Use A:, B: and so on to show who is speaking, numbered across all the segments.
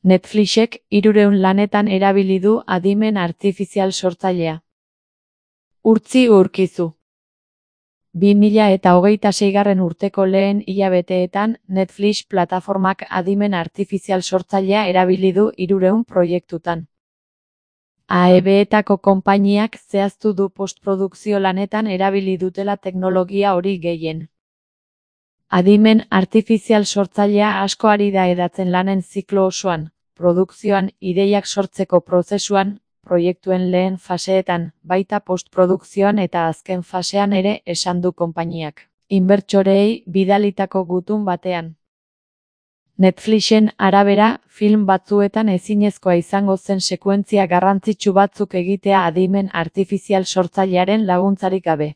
A: Netflixek 300 lanetan erabili du adimen artifizial sortzailea. Urtzi urkizu. 2026. urteko lehen hilabeteetan Netflix plataformak adimen artifizial sortzailea erabili du 300 proiektutan. AEB-etako konpainiak zehaztu du postprodukzio lanetan erabili dutela teknologia hori gehien. Adimen artifizial sortzailea asko ari da hedatzen lanen ziklo osoan, produkzioan, ideiak sortzeko prozesuan, proiektuen lehen faseetan, baita postprodukzioan eta azken fasean ere, esan du konpainiak, inbertsoreei bidalitako gutun batean. Netflixen arabera, film batzuetan ezinezkoa izango zen sekuentzia garrantzitsu batzuk egitea adimen artifizial sortzailearen laguntzarik gabe.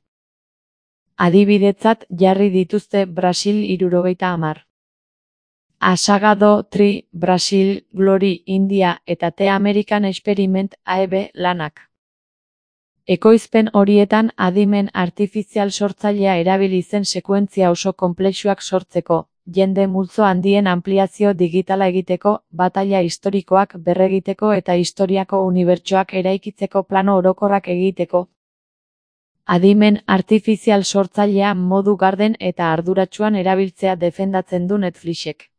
A: Adibidetzat jarri dituzte Brasil 70. Asagado 3, Brasil, Glory, India eta The American Experiment AEB lanak. Ekoizpen horietan adimen artifizial sortzailea erabili zen sekuentzia oso konplexuak sortzeko, jende multzo handien anpliazio digitala egiteko, bataila historikoak berregiteko eta historiako unibertsoak eraikitzeko plano orokorrak egiteko. Adimen artifizial sortzailea modu garden eta arduratsuan erabiltzea defendatzen du Netflixek.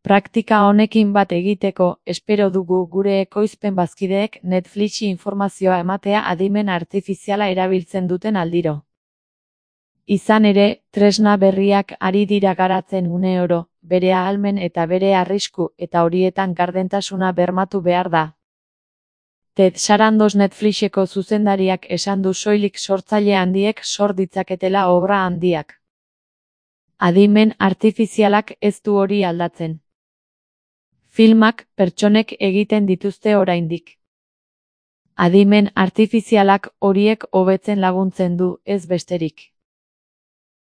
A: Praktika honekin bat egiteko, espero dugu gure ekoizpen bazkideek Netflixi informazioa ematea adimen artifiziala erabiltzen duten aldiro. Izan ere, tresna berriak ari dira garatzen uneoro, bere ahalmen eta bere arrisku eta horietan gardentasuna bermatu behar da. Ted Sarandos Netflixeko zuzendariak esan du soilik sortzaile handiek sor ditzaketela obra handiak. Adimen artifizialak ez du hori aldatzen. Filmak pertsonek egiten dituzte oraindik. Adimen artifizialak horiek hobetzen laguntzen du, ez besterik.